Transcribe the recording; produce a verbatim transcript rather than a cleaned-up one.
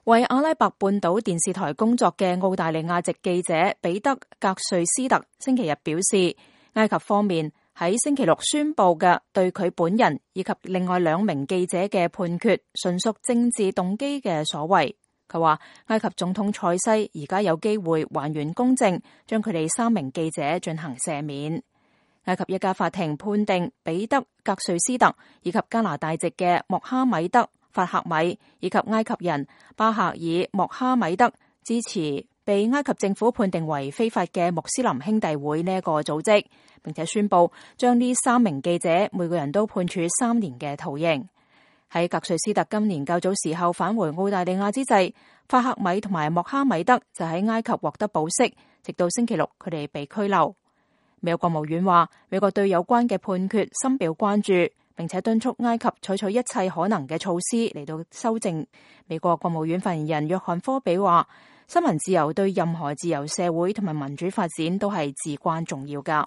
為阿拉伯半島電視台工作嘅澳大利亞籍記者彼得·格瑞斯特星期日表示，埃及方面喺星期六宣布嘅對佢本人以及另外兩名記者嘅判決，純屬政治動機嘅所為。佢話埃及總統塞西而家有機會還原公正，將佢哋三名記者進行赦免。埃及一家法庭判定彼得·格瑞斯特以及加拿大籍嘅莫哈米德·法赫米以及埃及人巴赫爾·莫哈米德支持被埃及政府判定為非法嘅穆斯林兄弟會呢一個組織，並且宣布將呢三名記者每個人都判處三年嘅徒刑。喺格瑞斯特今年較早時候返回澳大利亞之際，法赫米同埋莫哈米德就喺埃及獲得保釋，直到星期六佢哋被拘留。美國國務院話，美國對有關嘅判決深表關注，並且敦促埃及採取一切可能嘅措施嚟到修正。美國國務院發言人約翰科比話，新聞自由對任何自由社會同埋民主發展都係至關重要㗎。